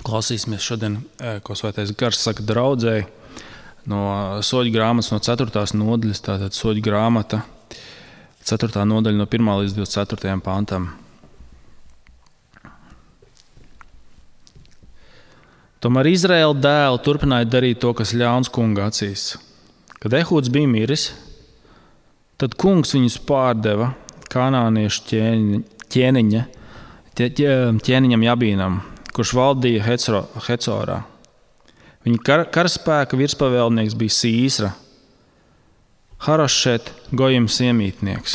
Klausīsimies šodien, ko Svētais Gars saka draudzēji no Soļu grāmatas, no 4. nodaļas, tātad Soļu grāmata, 4. nodaļa no 1. līdz 24. pantam. Tomēr Izraēla dēli turpināja darīt to, kas ļauns kunga acīs. Kad Ehūds bija miris, tad kungs viņus pārdeva kanāniešu ķēniņam Jabīnam, kurš valdīja Hecorā. Viņa karaspēka virspavēlnieks bija Sīsra, Harošet Gojims iemītnieks.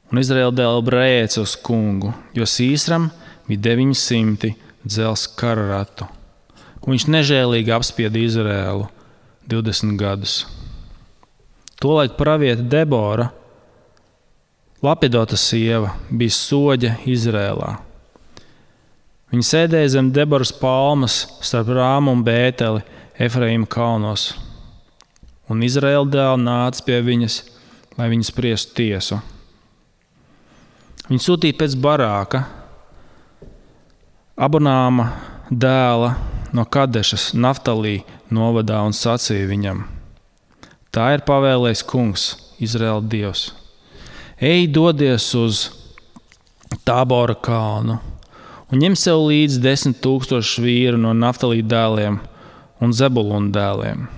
Un Izraēla dēli brēca uz kungu, jo Sīsram bija 900 dzels kararatu. Un viņš nežēlīgi apspieda Izraēlu 20 gadus. Tolaik praviete Debora, Lapidota sieva, bija soģe Izrēlā. Viņa sēdēja zem Deboras palmas starp Rāmu un Bēteli Efraīma kalnos. Un Izraēla dēli nāca pie viņas, lai viņas spriestu tiesu. Viņa sūtīja pēc Barāka, Abonāma dēla no Kadešas, Naftalī novadā un sacīja viņam: tā ir pavēlējis kungs, Izraēla dievs. Ej, dodies uz Tābora kalnu un ņem sev līdzi 10 000 vīru no Naftalī dēliem un Zebuluna dēliem.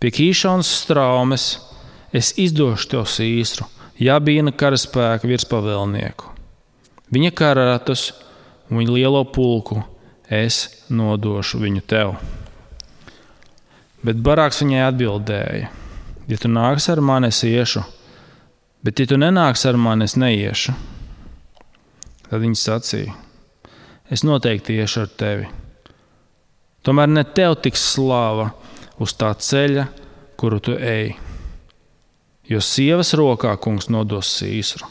Pie Kīšonas straumes es izdošu tev Sīsru, Jabīna karaspēka virspavēlnieku. Viņa kararatus un viņa lielo pulku es nodošu viņu tev. Bet Barāks viņai atbildēja: ja tu nāks ar mani, es iešu, bet ja tu nenāks ar mani, es neiešu. Tad viņa sacīja: es noteikti iešu ar tevi. Tomēr ne tev tiks slāva uz tā ceļa, kuru tu ej, jo sievas rokā kungs nodos Sīsru.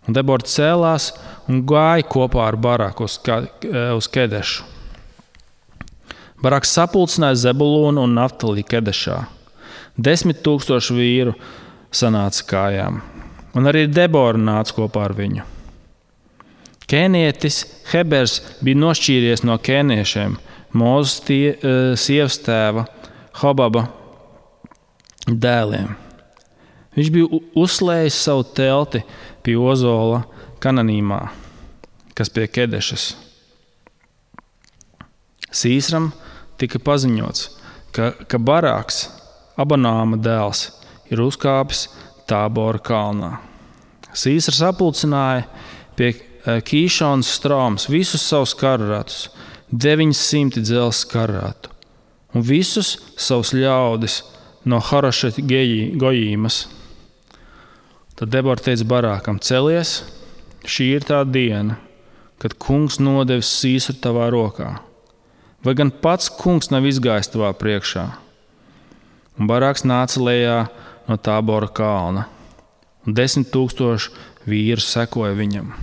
Un Debora cēlās un gāja kopā ar Barāku uz Kedešu. Barāks sapulcināja Zebulūnu un Naftalī Kedešā. 10 000 vīru sanāca kājām, un arī Debora nāca kopā ar viņu. Kēnietis Hebers bija nošķīries no kēniešiem, Mūzes sievas tēva Hobaba dēliem. Viņš bija uzslējis savu telti pie Ozola Kananīmā, kas pie Kedešas. Sīsram tika paziņots, ka Barāks, Abonāma dēls, ir uzkāpis Tābora kalnā. Sīsrs sapulcināja pie Kīšonas straumes visus savus kararatus, 900 dzels kararatu, un visus savus ļaudis no Harošet Gojīmas. Tad Debora teica Barākam: celies, šī ir tā diena, kad kungs nodevis Sīsru tavā rokā. Vai gan pats kungs nav izgājis tavā priekšā? Un Barāks nāca lejā no Tābora kalna, un 10 000 vīru sekoja viņam.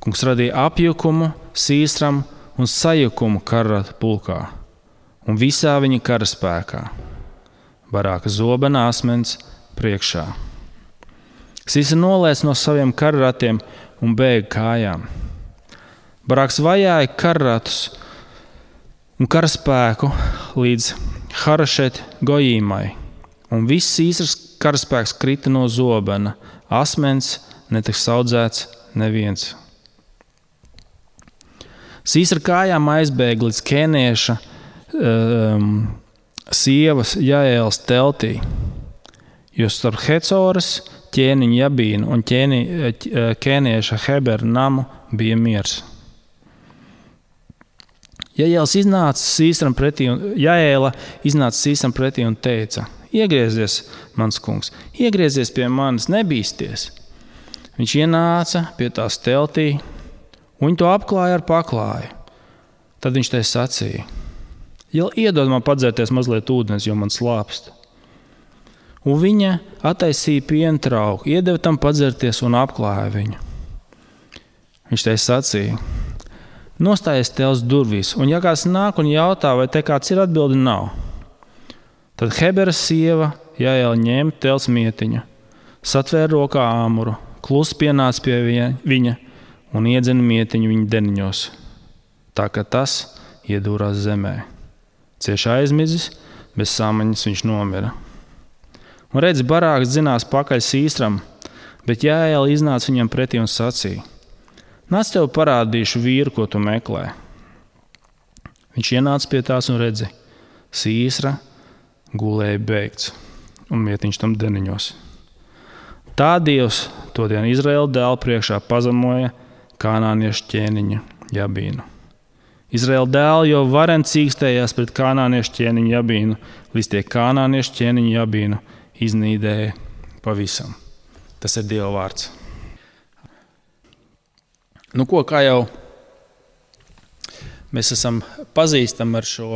Kungs radīja apjukumu Sīsram un sajukumu kararatu pulkā un visā viņa karaspēkā, Barāka zobena asmens priekšā. Sīsra nolēca no saviem kararatiem un bēga kājām. Barāks vajāja kararatus un karaspēku līdz Harošet Gojīmai, un viss Sīsras karaspēks krita no zobena, asmens netiks audzēts neviens. Sīsra kājām aizbēga līdz kēnieša sievas Jaēlas teltī, jo starp Hecoras ķēniņu Jabīnu un kēnieša Hebera namu bija miers. Jaēla iznāca Sīsram pretī un teica: iegriezies, mans kungs, iegriezies pie manis, nebīsties. Viņš ienāca pie tās teltī, un viņi to apklāja ar paklāju. Tad viņš tai sacīja: iedod man padzērties mazliet ūdens, jo man slāpst. Un viņa attaisīja piena trauku, iedeva tam padzerties un apklāja viņu. Viņš tai sacīja: nostājies telts durvīs, un ja kāds nāk un jautā, vai te kāds ir, atbildi nav. Tad Hebera sieva Jaēla ņēma telts mietiņu, satvēra rokā āmuru, klusi pienāca pie viņa un iedzina mietiņu viņa deniņos, tā ka tas iedūrās zemē. Cieši aizmidzis, bez samaņas viņš nomira. Un redz, barāks dzinās pakaļ Sīstram, bet Jāēla iznāca viņam pretī un sacīja: Nāc, tev parādīšu vīru, ko tu meklē. Viņš ienāca pie tās un redzi, Sīsra gulēja beigts, un mietiņš tam deniņos. Tā Dievs to dienu Izraēla dēlu priekšā pazemoja kanāniešu ķēniņu Jabīnu. Izraēla dēli jau varen cīkstējās pret kanāniešu ķēniņu Jabīnu, līdz tie kanāniešu ķēniņu Jabīnu iznīdēja pavisam. Tas ir Dieva vārds. Nu ko, kā jau mēs esam pazīstami ar šo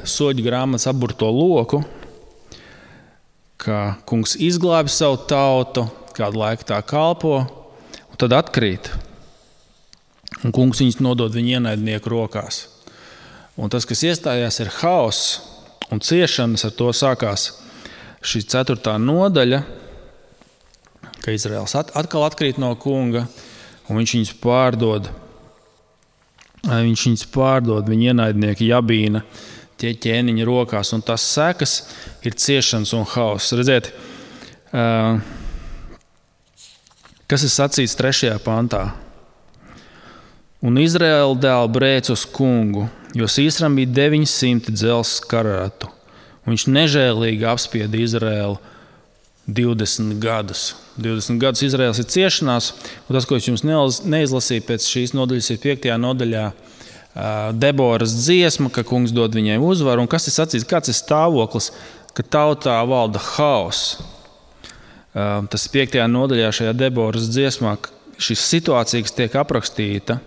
soļu grāmatas aburto loku, ka kungs izglābi savu tautu, kādu laiku tā kalpo, un tad atkrīt. Un kungs viņus nodod viņa ienaidnieku rokās. Un tas, kas iestājās, ir haoss un ciešanas, ar to sākās šī 4. nodaļa, ka Izraels atkal atkrīt no kunga, un viņš viņus pārdod. Viņš viņus pārdod, viņa ienaidnieki Jabīna, tie ķēniņa rokās, un tas sekas ir ciešanas un haoss. Redziet, kas ir sacīts 3. pantā. Un Izraēla dēli brēc uz kungu, jo Sīsram bija 900 dzelzs karatu, un viņš nežēlīgi apspieda Izraēlu 20 gadus. 20 gadus Izraēls ir ciešanās, un tas, ko es jums neizlasīju pēc šīs nodaļas, ir 5. nodaļā Deboras dziesma, ka kungs dod viņai uzvaru, un kas ir sacīts, kāds ir stāvoklis, ka tautā valda haoss. Tas ir 5. nodaļā šajā Deboras dziesmā, šī situācija, kas tiek aprakstīta.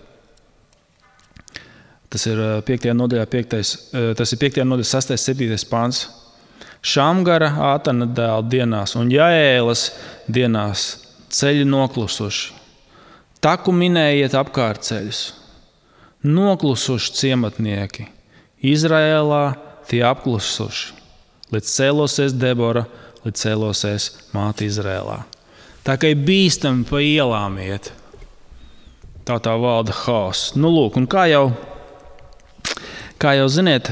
Tas ir 5. nodaļā, 6. 7. pants. Šamgara Ātana dēla dienās un Jaēlas dienās ceļi noklusuši. Taku minējiet apkārt ceļus. Noklusuši ciematnieki. Izraēlā tie apklusuši. Līdz cēlosies Debora, līdz cēlosies māte Izraēlā. Tā kā ir bīstami pa ielām iet. Tā valda haoss. Nu lūk, un kā jau ziniet,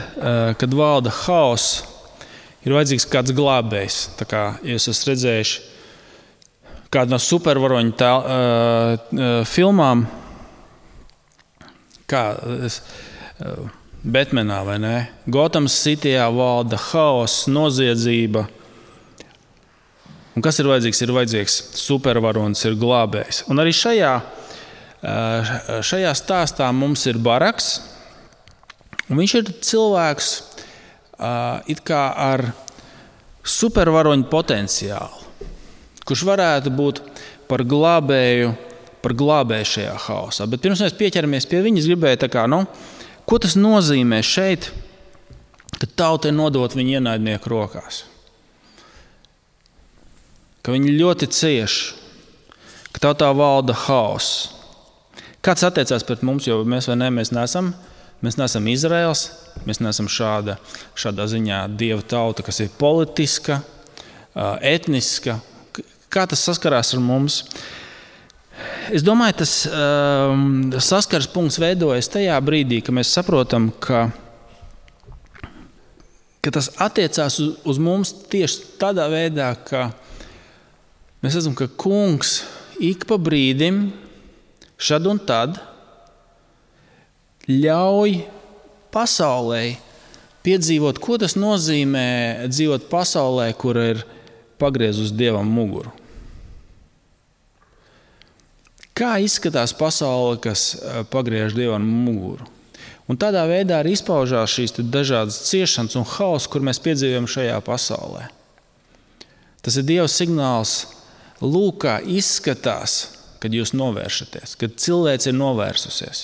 kad valda haoss, ir vajadzīgs kāds glābējs. Tā kā jūs esat redzējuši kādu no supervaroņu filmām, kā Batmanā, vai ne? Gotham Cityjā valda haoss, noziedzība. Un kas ir vajadzīgs? Ir vajadzīgs supervaronis, ir glābējs. Un arī šajā stāstā mums ir Baraks. Un viņš ir cilvēks it kā ar supervaroņu potenciālu, kurš varētu būt par glābēju šajā haosā. Bet pirms mēs pieķeramies pie viņa, es gribēju, ko tas nozīmē šeit, ka tauta ir nodot viņa ienaidnieku rokās. Ka viņi ļoti cieši, ka tautā valda haoss. Kāds attiecās pret mums, jo mēs neesam Izraels, mēs neesam šādā ziņā Dieva tauta, kas ir politiska, etniska. Kā tas saskarās ar mums? Es domāju, tas saskars punkts veidojas tajā brīdī, ka mēs saprotam, ka tas attiecās uz mums tieši tādā veidā, ka mēs redzam, ka kungs ik pa brīdim, šad un tad, ļauj pasaulē piedzīvot, ko tas nozīmē dzīvot pasaulē, kur ir pagriezus Dievam muguru. Kā izskatās pasaule, kas pagriež Dievam muguru? Un tādā veidā arī izpaužās šīs dažādas ciešanas un hauss, kur mēs piedzīvojam šajā pasaulē. Tas ir Dieva signāls, lūk, kā izskatās, kad jūs novēršaties, kad cilvēks ir novērsusies.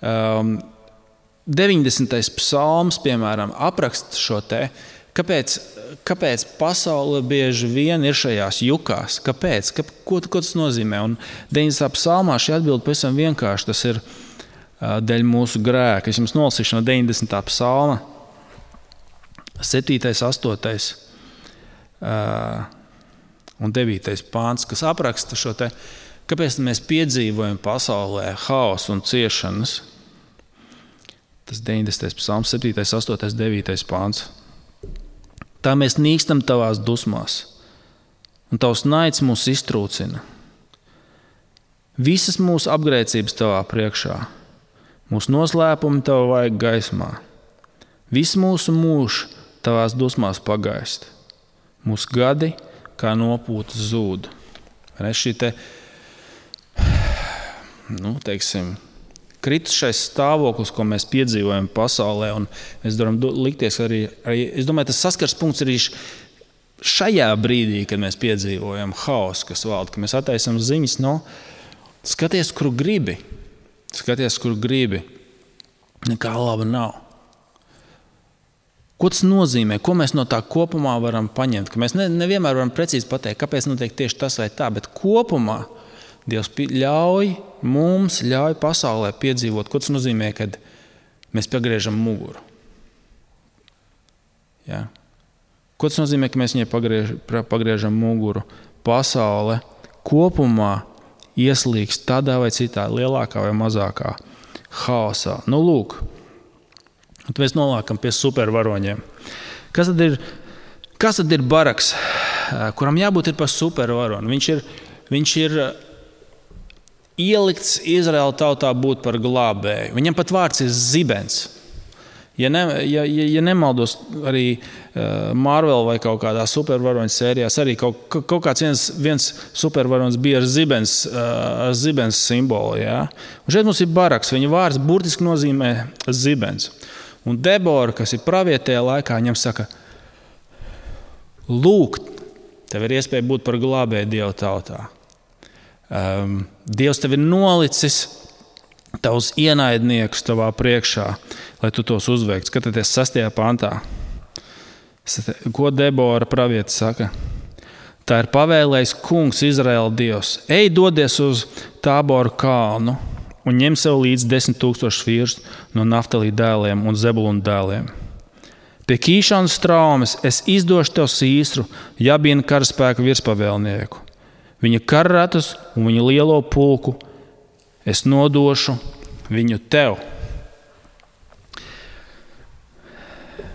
90. psalms, piemēram, apraksta šo te, kāpēc pasaule bieži vien ir šajās jukās, kāpēc, ko tas nozīmē. Un 90. psalmā šī atbilde pavisam vienkārši, tas ir dēļ mūsu grēka. Es jums nolasīšu no 90. psalma, 7., 8. Un 9. pāns, kas apraksta šo te Kāpēc mēs piedzīvojam pasaulē haosu un ciešanas? Tas 90. psalms, 7., 8., 9. pāns. Tā mēs nīkstam tavās dusmās, un tavs naids mūs iztrūcina. Visas mūsu apgrēcības tavā priekšā, mūsu noslēpumi tava vaiga gaismā. Viss mūsu mūžs tavās dusmās pagaist. Mūsu gadi kā nopūta zūd. Šī kritušais stāvoklis, ko mēs piedzīvojam pasaulē, un mēs varam likties arī, es domāju, tas saskars punkts arī šajā brīdī, kad mēs piedzīvojam haosu, kas valda, ka mēs attaisam ziņas, skaties, kur gribi, nekā laba nav. Ko tas nozīmē? Ko mēs no tā kopumā varam paņemt? Ka mēs nevienmēr varam precīzi pateikt, kāpēc notiek tieši tas vai tā, bet kopumā Dievs ļauj pasaulē piedzīvot. Ko tas nozīmē, kad mēs pagriežam muguru? Ja? Ko tas nozīmē, ka mēs viņai pagriežam muguru? Pasaule kopumā ieslīgst tādā vai citā, lielākā vai mazākā haosā. Lūk, mēs nonākam pie supervaroņiem. Kas tad ir Baraks, kuram jābūt ir par supervaroni? Viņš ir ielikts Izraēla tautā būt par glābēju. Viņam pat vārds ir Zibens. Ja nemaldos, arī Marvel vai kaut kādā supervaroņu sērijās arī kaut kāds viens supervaronis bija ar Zibens simbolu. Ja? Un šeit mums ir Baraks. Viņa vārds burtiski nozīmē Zibens. Un Debora, kas ir pravietējā laikā, viņam saka, lūk, tev ir iespēja būt par glābēju Dieva tautā. Dievs tev ir nolicis tavus ienaidniekus tavā priekšā, lai tu tos uzveiktu. Skatieties 6. pantā. Ko Debora praviete saka? Tā ir pavēlējis kungs Izraēla Dievs. Ej, dodies uz Tāboru kalnu un ņem sev līdz 10,000 vīrus no Naftalī dēliem un Zebuluna dēliem. Pie Kīšanas traumes es izdošu tev Sīsru, Jabīna karaspēka virspavēlnieku. Viņa karratus un viņa lielo pulku es nodošu viņu tev.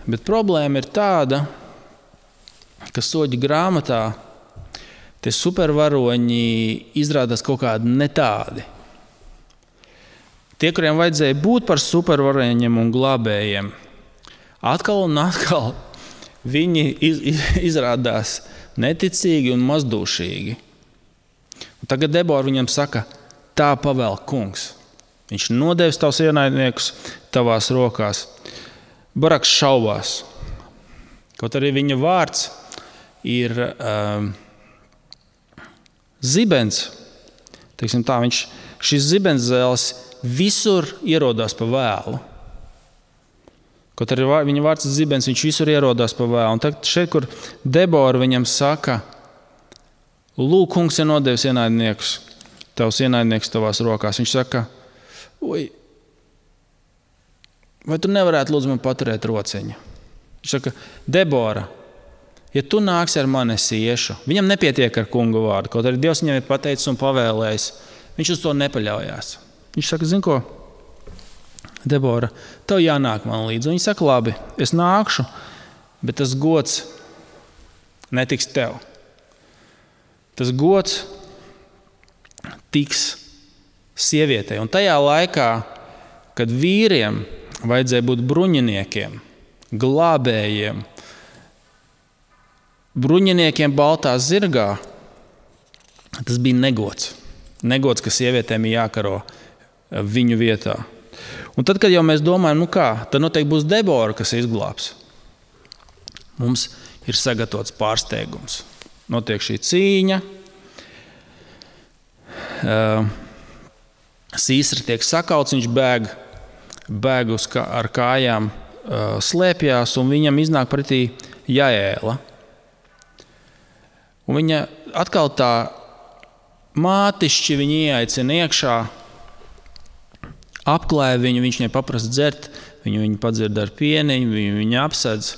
Bet problēma ir tāda, ka soļu grāmatā tie supervaroņi izrādās kaut kādi ne tādi. Tie, kuriem vajadzēja būt par supervaroņiem un glābējiem, atkal un atkal viņi izrādās neticīgi un mazdūšīgi. Un tagad Debora viņam saka, tā pavēl kungs. Viņš nodevis tavus ienaidniekus tavās rokās. Baraks šaubās. Kaut arī viņa vārds ir Zibens. Teiksim tā, šis Zibens zēles visur ierodās pa vēlu. Kaut arī viņa vārds ir Zibens, viņš visur ierodās pa vēlu. Un tagad šeit, kur Debora viņam saka, lūk, kungs ir nodevis tavus ienaidniekus tavās rokās. Viņš saka, vai tu nevarētu lūdzu man paturēt rociņu? Viņš saka, Debora, ja tu nāksi ar mani, es iešu. Viņam nepietiek ar kunga vārdu, kaut arī Dievs viņam ir pateicis un pavēlējis. Viņš uz to nepaļaujās. Viņš saka, zini ko, Debora, tev jānāk man līdzi. Un viņa saka, labi, es nākšu, bet tas gods netiks tev. Tas gods tiks sievietei. Un tajā laikā, kad vīriem vajadzēja būt bruņiniekiem, glābējiem, bruņiniekiem baltā zirgā, tas bija negods. Negods, ka sievietēm ir jākaro viņu vietā. Un tad, kad jau mēs domājam, tad noteikti būs Debora, kas izglābs. Mums ir sagatavots pārsteigums. Notiek šī cīņa. Sīsra tiek sakauts, viņš bēg ar kājām, slēpjās, un viņam iznāk pretī Jaēla. Un viņa atkal tā mātišķi viņu ieaicina iekšā, apklāja viņu, viņš viņai paprasa dzert, viņu padzird ar pieniņu, viņu apsedz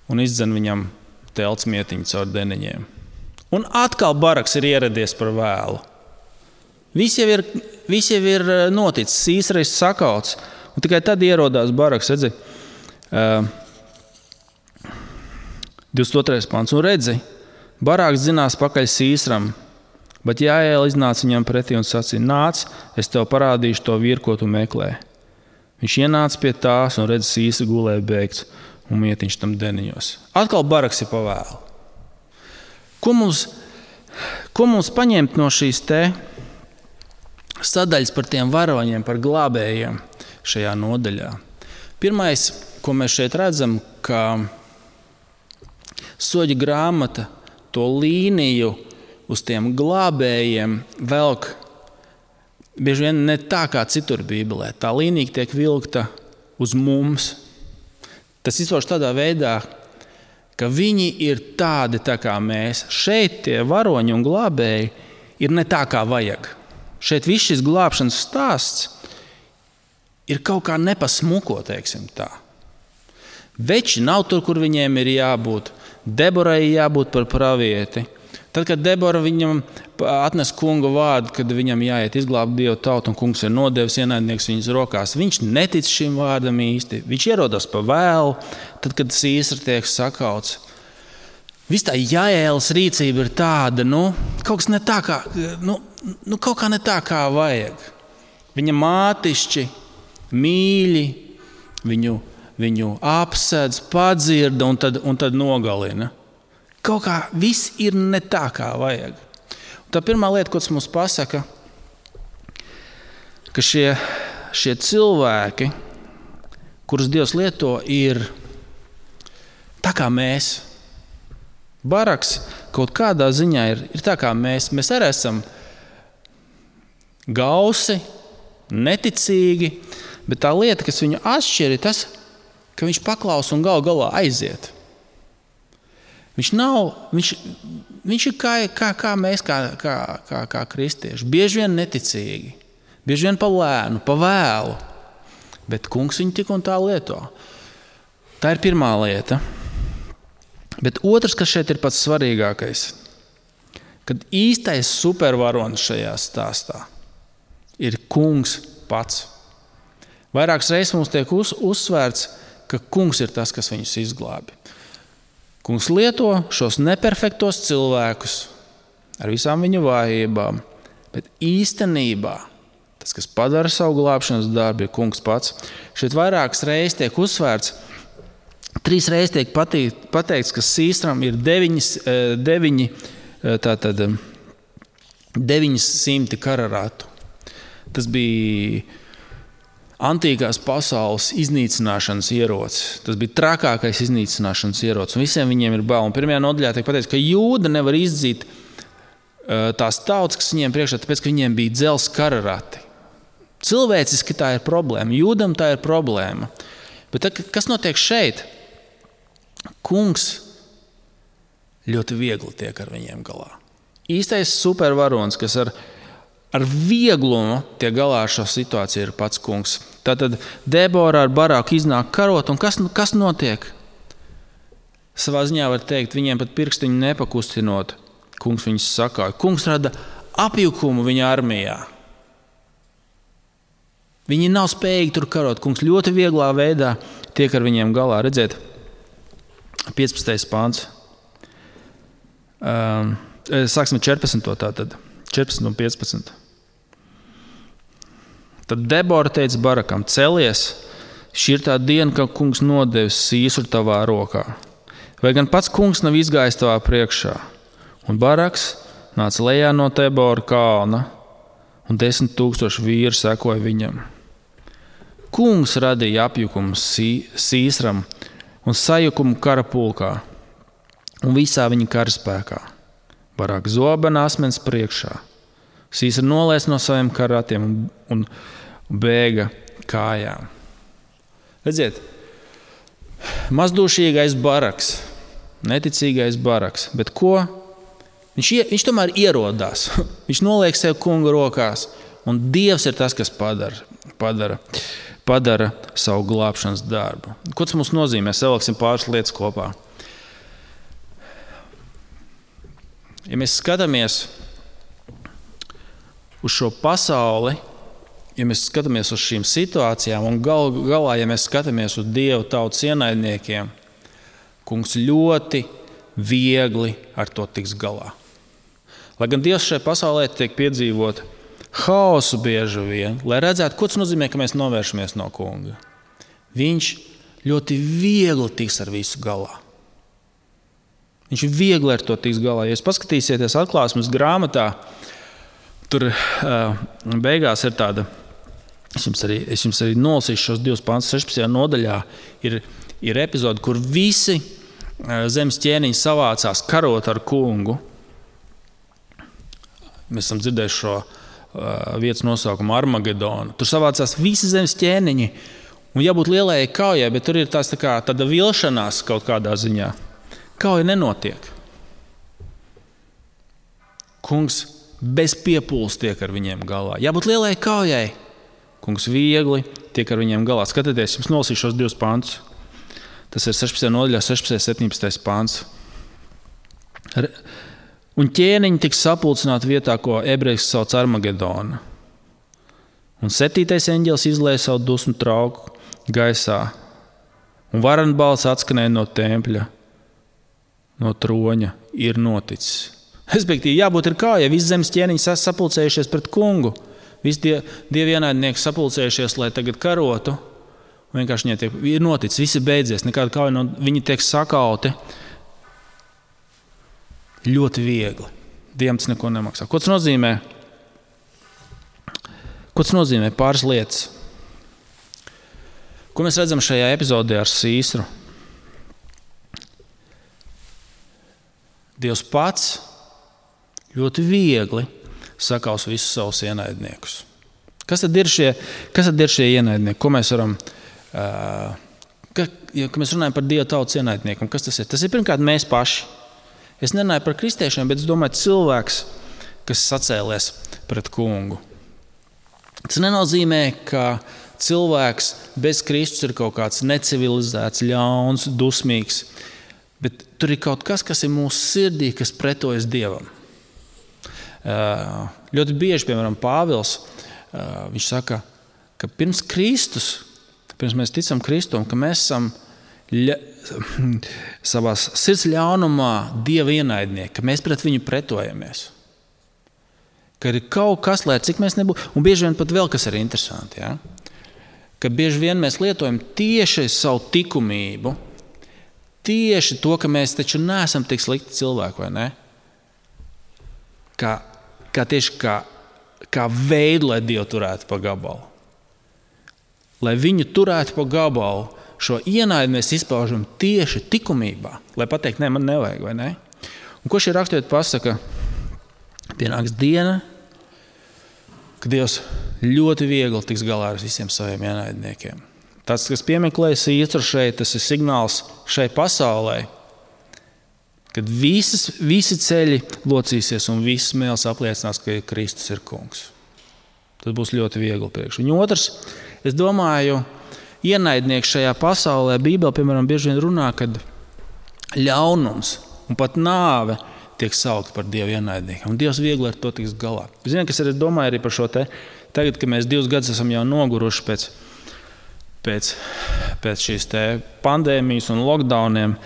un izdzen viņam telts mietiņu caur deniņiem. Un atkal Baraks ir ieradies par vēlu. Viss jau ir noticis, Sīsra ir sakauts. Un tikai tad ierodās Baraks, redzi, 22. pants. Un redzi, Barāks dzinās pakaļ Sīsram, bet Jāēl iznāca viņam pretī un sacīja, nāc, es tev parādīšu to vīru, ko tu meklē. Viņš ienāca pie tās un redz Sīsra gulēja beigts un mietiņš tam deniņos. Atkal Baraks ir pavēlu. Ko mums paņemt no šīs te sadaļas par tiem varoņiem, par glābējiem šajā nodaļā? Pirmais, ko mēs šeit redzam, ka Soļu grāmata to līniju uz tiem glābējiem velk bieži vien ne tā kā citur Bībelē. Tā līnija tiek vilkta uz mums. Tas izpauž tādā veidā, ka viņi ir tādi tā kā mēs. Šeit tie varoņi un glābēji ir ne tā kā vajag. Šeit viss šis glābšanas stāsts ir kaut kā nepasmuko, teiksim tā. Veči nav tur, kur viņiem ir jābūt. Deborai jābūt par pravieti. Tad, kad Debora viņam atnes kunga vārdu, kad viņam jāiet izglābt Dievu tautu un kungs ir nodevis ienaidnieks viņas rokās, viņš netic šim vārdam īsti. Viņš ierodas pa vēlu, tad, kad Sīsra tiek sakauts. Viss tā Jāēlas rīcība ir tāda, kaut kas ne tā kā, kaut kā ne tā kā vajag. Viņa mātišķi, mīļi, viņu apsedz, padzirda un tad nogalina. Kaut kā viss ir ne tā, kā vajag. Un tā pirmā lieta, ko tas mums pasaka, ka šie cilvēki, kurus Dievs lieto, ir tā kā mēs. Baraks kaut kādā ziņā ir tā kā mēs. Mēs arī esam gausi, neticīgi, bet tā lieta, kas viņu atšķir, ir tas, ka viņš paklausa un gal galā aiziet. Viņš ir kā mēs, kā kristieši. Bieži vien neticīgi, bieži vien pa lēnu, pa vēlu, bet kungs viņu tik un tā lieto. Tā ir pirmā lieta. Bet otrs, kas šeit ir pats svarīgākais, kad īstais supervaronis šajā stāstā ir kungs pats. Vairākas reizes mums tiek uzsvērts, ka kungs ir tas, kas viņus izglābi. Kungs lieto šos neperfektos cilvēkus ar visām viņu vājībām, bet īstenībā tas, kas padara savu glābšanas darbu, ir kungs pats. Šeit vairākas reizes tiek uzsvērts, 3 reizes tiek pateikts, ka Sīsram ir 900 kararatu. Tas bija antīkās pasaules iznīcināšanas ierocis. Tas bija trakākais iznīcināšanas ierocis. Un visiem viņiem ir bail. Un pirmajā nodaļā tiek pateikts, ka Jūda nevar izdzīt tās tautas, kas viņiem priekšā, tāpēc, ka viņiem bija dzelzs kararati. Cilvēciski tā ir problēma. Jūdam tā ir problēma. Bet kas notiek šeit? Kungs ļoti viegli tiek ar viņiem galā. Īstais supervaronis, kas ar vieglumu tiek galā ar šo situāciju, ir pats kungs. Tātad Debora ar Barāku iznāk karot, un kas notiek? Savā ziņā var teikt, viņiem pat pirkstiņu nepakustinot, kungs viņus sakāja. Kungs rada apjukumu viņa armijā. Viņi nav spējīgi tur karot. Kungs ļoti vieglā veidā tiek ar viņiem galā. Redziet, 15. pāns. Sāksim 14. tātad. 14 un 15. Tad Debora teica Barakam, celies, šī ir tā diena, ka kungs nodevis Sīsru tavā rokā. Vai gan pats kungs nav izgājis tavā priekšā? Un Baraks nāca lejā no Debora kalna, un 10 000 vīri sekoja viņam. Kungs radīja apjukumu Sīsram un sajukumu kara pulkā un visā viņa karaspēkā. Barāk zobena asmens priekšā. Sīsra nolēs no saviem karatiem un bēga kājām. Redziet, mazdūšīgais Baraks, neticīgais Baraks, bet ko? Viņš tomēr ierodās. Viņš noliek sev kunga rokās, un Dievs ir tas, kas padara savu glābšanas darbu. Ko tas mums nozīmē? Savilksim pāris lietas kopā. Ja mēs skatāmies uz šo pasauli, ja mēs skatāmies uz šīm situācijām un galā, ja mēs skatāmies uz Dievu tautas ienaidniekiem, kungs ļoti viegli ar to tiks galā. Lai gan Dievs šajā pasaulē tiek piedzīvot haosu bieži vien, lai redzētu, ko tas nozīmē, ka mēs novēršamies no kunga. Viņš ļoti viegli tiks ar visu galā. Viņš viegli ar to tiks galā. Ja jūs paskatīsieties Atklāsmes grāmatā, tur beigās ir tāda, es jums arī nolasīšu šos 2 pantus 16. nodaļā, ir epizode, kur visi zemes ķēniņi savācās karot ar kungu. Mēs esam dzirdējuši šo vietas nosaukumu Armagedonu. Tur savācās visi zemes ķēniņi, un jābūt lielajai kaujai, bet tur ir tāda vilšanās kaut kādā ziņā. Kauja nenotiek. Kungs bez piepūles tiek ar viņiem galā. Jābūt lielajai kaujai. Kungs viegli tiek ar viņiem galā. Skatieties, jums nolasīšu šos 2 pantus. Tas ir 16. nodaļā, 16. 17. pants. Un ķēniņi tiks sapulcināti vietā, ko ebrejiski sauc Armagedona. Un 7. eņģelis izlēja savu dusmu trauku gaisā. Un varenbalss atskanēja no tempļa, no troņa, ir noticis. Respektīvi, jābūt ir kā, ja visi zemes ķēniņi sapulcējušies pret kungu, visi dievi ienaidnieki sapulcējušies, lai tagad karotu, un vienkārši viņiem ir noticis, viss ir beidzies, nekāda kauja, viņi tiek sakauti ļoti viegli. Dievam tas neko nemaksā. Ko tas nozīmē? Ko tas nozīmē? Pāris lietas. Ko mēs redzam šajā epizodē ar Sīsru? Dievs pats ļoti viegli sakaus visus savus ienaidniekus. Kas tad ir šie ienaidnieki? Ko mēs varam, kad mēs runājam par Dieva tautas ienaidniekiem, kas tas ir? Tas ir pirmkārt mēs paši. Es nerunāju par kristiešiem, bet es domāju cilvēks, kas sacēlies pret kungu. Tas nenozīmē, ka cilvēks bez Kristus ir kaut kāds necivilizēts, ļauns, dusmīgs, bet tur ir kaut kas ir mūsu sirdī, kas pretojas Dievam. Ļoti bieži, piemēram, Pāvils, viņš saka, ka pirms mēs ticam Kristum, ka mēs esam savās sirds ļaunumā Dieva ienaidnieki, ka mēs pret viņu pretojamies. Ka ir kaut kas, lai cik mēs nebūtu, un bieži vien pat vēl kas ir interesanti, ja? Ka bieži vien mēs lietojam tieši savu likumību, tieši to, ka mēs taču neesam tik slikti cilvēki, vai ne? Kā veidu, lai Dievu turētu pa gabalu. Lai viņu turētu pa gabalu, šo ienaidi mēs izpaužam tieši likumībā, lai pateikt, ne, man nevajag, vai ne? Un ko šī raksturiet pasaka? Pienāks diena, ka Dievs ļoti viegli tiks galā ar visiem saviem ienaidniekiem. Tas, kas piemeklē Sīstru šeit, tas ir signāls šai pasaulē, kad visi ceļi locīsies un visas mēles apliecinās, ka Kristus ir kungs. Tas būs ļoti viegli priekš. Un otrs, es domāju, ienaidnieks šajā pasaulē, Bībelē, piemēram, bieži vien runā, kad ļaunums un pat nāve tiek saukti par Dievu ienaidniekiem. Un Dievs viegli ar to tiks galā. Ziniet, kas arī domāju arī par šo te, tagad, kad mēs 2 gadus esam jau noguruši pēc šīs te pandēmijas un lockdowniem,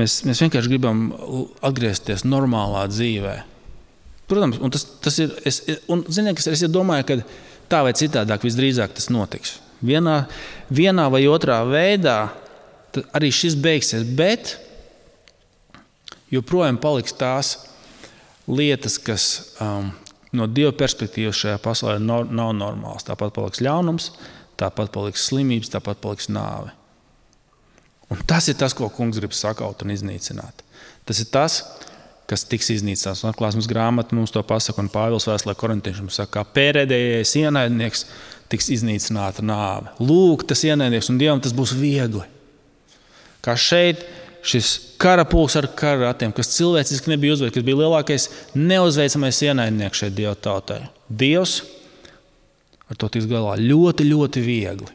mēs vienkārši gribam atgriezties normālā dzīvē. Protams, un tas ir, ziniet, kas es domāju, ka tā vai citādāk visdrīzāk tas notiks. Vienā vai otrā veidā arī šis beigsies, bet joprojām paliks tās lietas, kas no Dieva perspektīvas šajā pasaulē nav normāls. Tāpat paliks ļaunums, tāpat paliks slimības, tāpat paliks nāve. Un tas ir tas, ko kungs grib sakaut un iznīcināt. Tas ir tas, kas tiks iznīcināts. Un Atklāsmes grāmata mums to pasaka, un Pāvils vēstulē korintiešiem saka, ka pēdējais ienaidnieks tiks iznīcināta nāve. Lūk, tas ienaidnieks, un Dievam tas būs viegli. Kā šeit šis karapulks ar kararatiem, kas cilvēciski nebija uzveikts, kas bija lielākais neuzveicamais ienaidnieks šeit Dieva tautai. Dievs ar to tiks galā ļoti, ļoti viegli.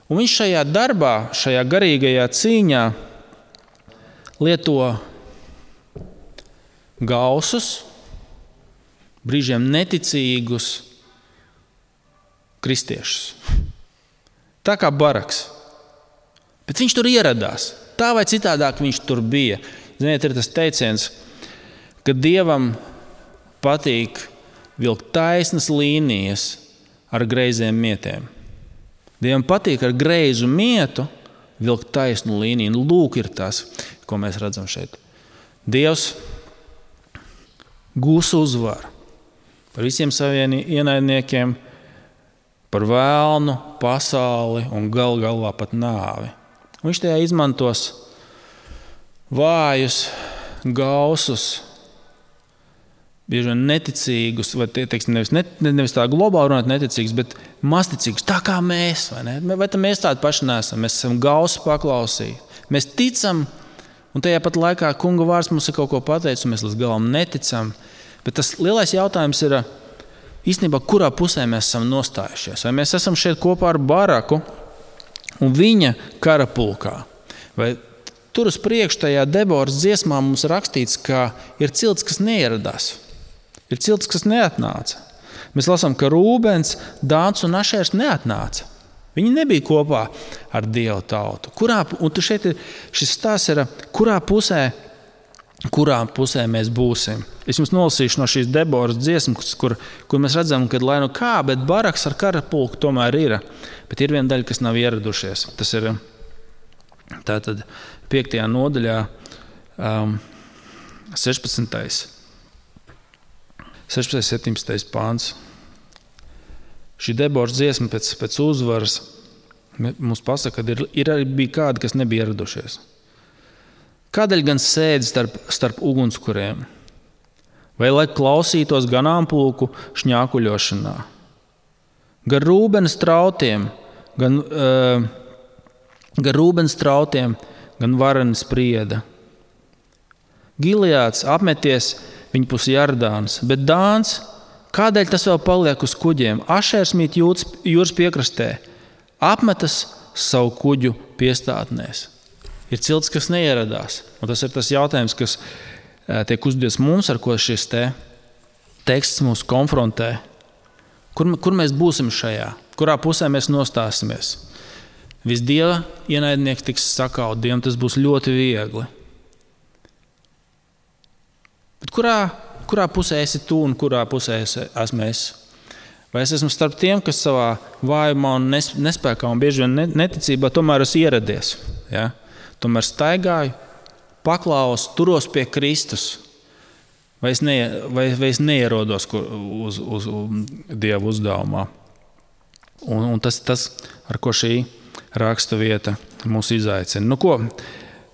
Un viņš šajā darbā, šajā garīgajā cīņā lieto gausus, brīžiem neticīgus kristiešus. Tā kā Baraks. Bet viņš tur ieradās. Tā vai citādāk viņš tur bija. Ziniet, ir tas teiciens, ka Dievam patīk vilkt taisnas līnijas ar greiziem mietiem. Dievam patīk ar greizu mietu vilkt taisnu līniju. Un lūk ir tas, ko mēs redzam šeit. Dievs gūs uzvaru par visiem saviem ienaidniekiem, par vēlnu, pasauli un galvā pat nāvi. Un viņš tajā izmantos vājus, gausus, bieži vien neticīgus, vai teiksim, nevis tā globāli runāt neticīgus, bet masticīgus, tā kā mēs, vai ne? Vai mēs tādi paši neesam? Mēs esam gausu paklausīti. Mēs ticam, un tajā pat laikā kunga vārds mums ir kaut ko pateicis, un mēs līdz galam neticam. Bet tas lielais jautājums ir, īstenībā, kurā pusē mēs esam nostājušies? Vai mēs esam šeit kopā ar Baraku un viņa karapulkā? Vai tur uz priekšu tajā Deboras dziesmā mums rakstīts, ka ir cilts, kas neieradās? Ir cilts, kas neatnāca. Mēs lasām, ka Rūbens, Dāns un Ašērs neatnāca. Viņi nebija kopā ar Dievu tautu. Un šeit šis stāsts ir, kurā pusē mēs būsim. Es jums nolasīšu no šīs Deboras dziesmas, kur mēs redzam, ka lai nu kā, bet Baraks ar karapulku tomēr ir. Bet ir viena daļa, kas nav ieradušies. Tas ir tātad 5. nodaļā 16. 17. pāns. Šī Deboras dziesma pēc uzvaras mums pasaka, ka bija kādi, kas nebija ieradušies. Kādēļ gan sēdi starp ugunskuriem? Vai lai klausītos ganāmpulku šņākuļošanā? Gar Rūbens trautiem, gan vareni sprieda. Gileāds apmeties viņpus Jardāns, bet Dāns, kādēļ tas vēl paliek uz kuģiem? Ašērs mīt jūras piekrastē, apmetas savu kuģu piestātnēs. Ir cilts, kas neieradās. Un tas ir tas jautājums, kas tiek uzdots mums, ar ko šis teksts mūs konfrontē. Kur mēs būsim šajā? Kurā pusē mēs nostāsimies? Viss Dieva ienaidnieks tiks sakaut, Dievam tas būs ļoti viegli. Bet kurā pusē esi tu un kurā pusē esmu es? Vai es esmu starp tiem, kas savā vājumā un nespēkā un bieži vien neticībā tomēr esmu ieradies? Ja? Tomēr staigāju, paklausu, turos pie Kristus. Vai es neierodos uz Dieva uzdevumā? Un tas, ar ko šī raksta vieta mūs izaicina. Nu ko?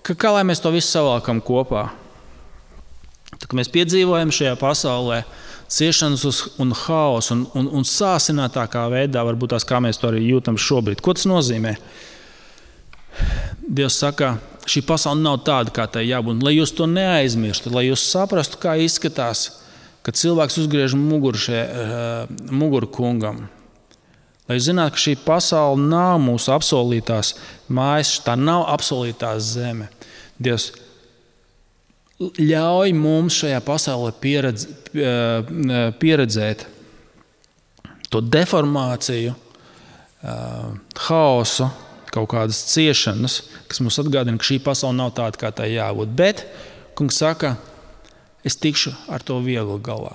Kā lai mēs to visu savalkam kopā? Tad, kad mēs piedzīvojam šajā pasaulē ciešanas un haosu un sāsinātākā veidā, varbūt tās, kā mēs to arī jūtam šobrīd. Ko tas nozīmē? Dievs saka, šī pasaule nav tāda, kā tai jābūt. Lai jūs to neaizmirstu, lai jūs saprastu, kā izskatās, kad cilvēks uzgriež muguru kungam. Lai jūs zinātu, ka šī pasaule nav mūsu apsolītās mājas, tā nav apsolītās zeme. Dievs ļauj mums šajā pasaulē pieredzēt to deformāciju, haosu, kaut kādas ciešanas, kas mums atgādina, ka šī pasaule nav tāda, kā tai jābūt. Bet, kungs saka, es tikšu ar to viegli galā.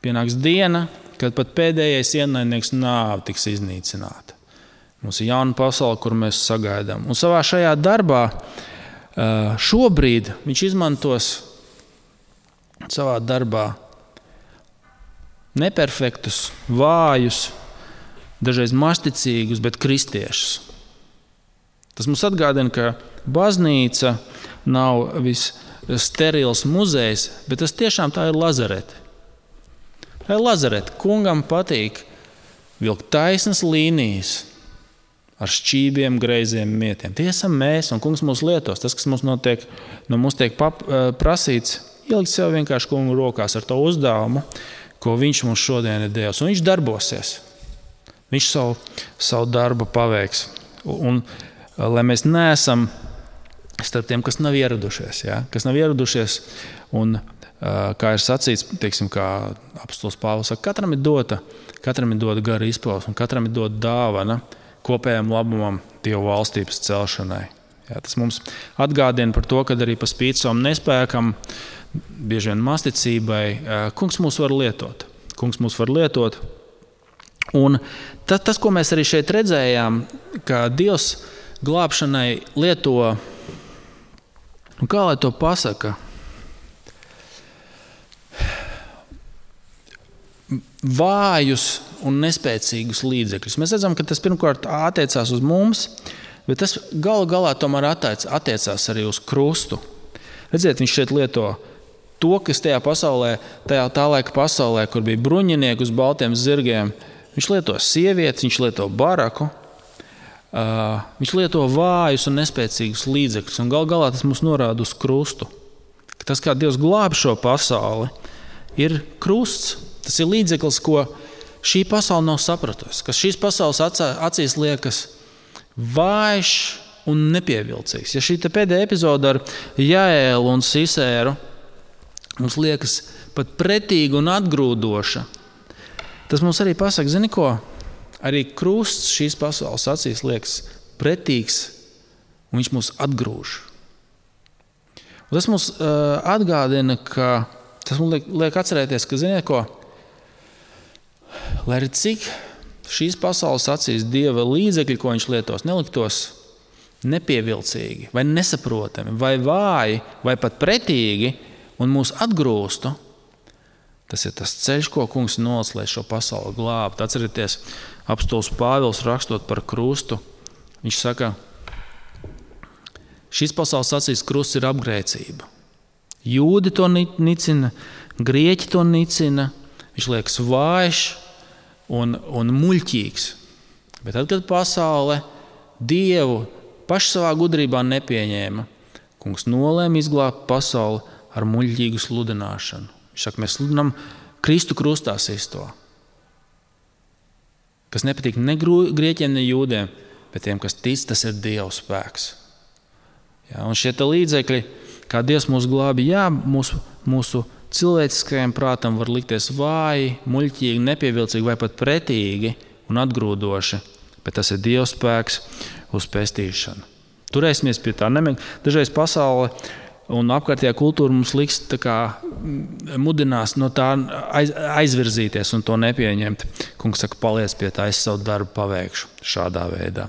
Pienāks diena, kad pat pēdējais ienaidnieks nāve tiks iznīcināta. Mums ir jauna pasaule, kur mēs sagaidām. Un savā šajā darbā šobrīd viņš izmantos savā darbā neperfektus, vājus, dažreiz masticīgus, bet kristiešus. Tas mums atgādina, ka baznīca nav viss sterils muzejs, bet tas tiešām tā ir lazarete. Tā ir lazarete. Kungam patīk vilkt taisnas līnijas ar šķībiem, greiziem mietiem. Tie esam mēs, un kungs mūs lietos. Tas, kas mums notiek, no mums tiek prasīts, ielikt sev vienkārši kungu rokās ar to uzdevumu, ko viņš mums šodien ir devis. Un viņš darbosies. Viņš savu darbu paveiks. Un lai mēs neesam starp tiem, kas nav ieradušies. Ja? Kas nav ieradušies un kā ir sacīts, teiksim, kā apostols Pāvils saka, katram ir dota gara izpausme, un katram ir dota dāvana kopējam labumam Dieva valstības celšanai. Jā, tas mums atgādina par to, ka arī pa spīti savam nespēkam, bieži vien masticībai, kungs mūs var lietot. Un tas, ko mēs arī šeit redzējām, ka Dievs glābšanai lieto, kā lai to pasaka, vājus un nespēcīgus līdzekļus. Mēs redzam, ka tas pirmkārt attiecās uz mums, bet tas galu galā tomēr attiecās arī uz krustu. Redziet, viņš šeit lieto to, kas tajā pasaulē, tā laika pasaulē, kur bija bruņinieki uz baltiem zirgiem, viņš lieto sievietes, viņš lieto baraku, viņš lieto vājus un nespēcīgus līdzekļus, un galu galā tas mums norāda uz krustu. Tas, kā Dievs glāb šo pasauli, ir krusts. Tas ir līdzeklis, ko šī pasaule nav sapratusi, kas šīs pasaules acīs liekas vājš un nepievilcīgs. Ja šī pēdējā epizode ar Jaēlu un Sisēru mums liekas pat pretīga un atgrūdoša, tas mums arī pasaka, zini ko? Arī krusts šīs pasaules acīs liekas pretīgs, un viņš mūs atgrūž. Un tas mums atgādina, tas mums liek atcerēties, ka, ziniet ko? Lai arī cik šīs pasaules acīs Dieva līdzekļi, ko viņš lietos, neliktos nepievilcīgi, vai nesaprotami, vai vāji, vai pat pretīgi, un mūs atgrūstu, tas ir tas ceļš, ko kungs nolic, lai šo pasauli glābtu. Atcerieties, apostols Pāvils rakstot par krustu, viņš saka, šīs pasaules acīs krusts ir apgrēcība. Jūdi to nicina, grieķi to nicina, viņš liekas vājš un muļķīgs. Bet tad, kad pasaule Dievu paši savā gudrībā nepieņēma, kungs nolēma izglābt pasauli ar muļķīgu sludināšanu. Viņš saka, mēs sludinām Kristu krustā sisto, kas nepatīk ne grieķiem, ne jūdiem, bet tiem, kas tic, tas ir Dieva spēks. Jā, un šie līdzekļi, kā Dievs mūs glābi, jā, mūsu cilvēciskajam prātam var likties vāji, muļķīgi, nepievilcīgi vai pat pretīgi un atgrūdoši, bet tas ir Dieva spēks uz pestīšanu. Turēsimies pie tā. Dažreiz pasaule un apkārtējā kultūra mums liks mudinās no tā aizvirzīties un to nepieņemt. Kungs saka, paliec pie tā, es savu darbu paveikšu šādā veidā.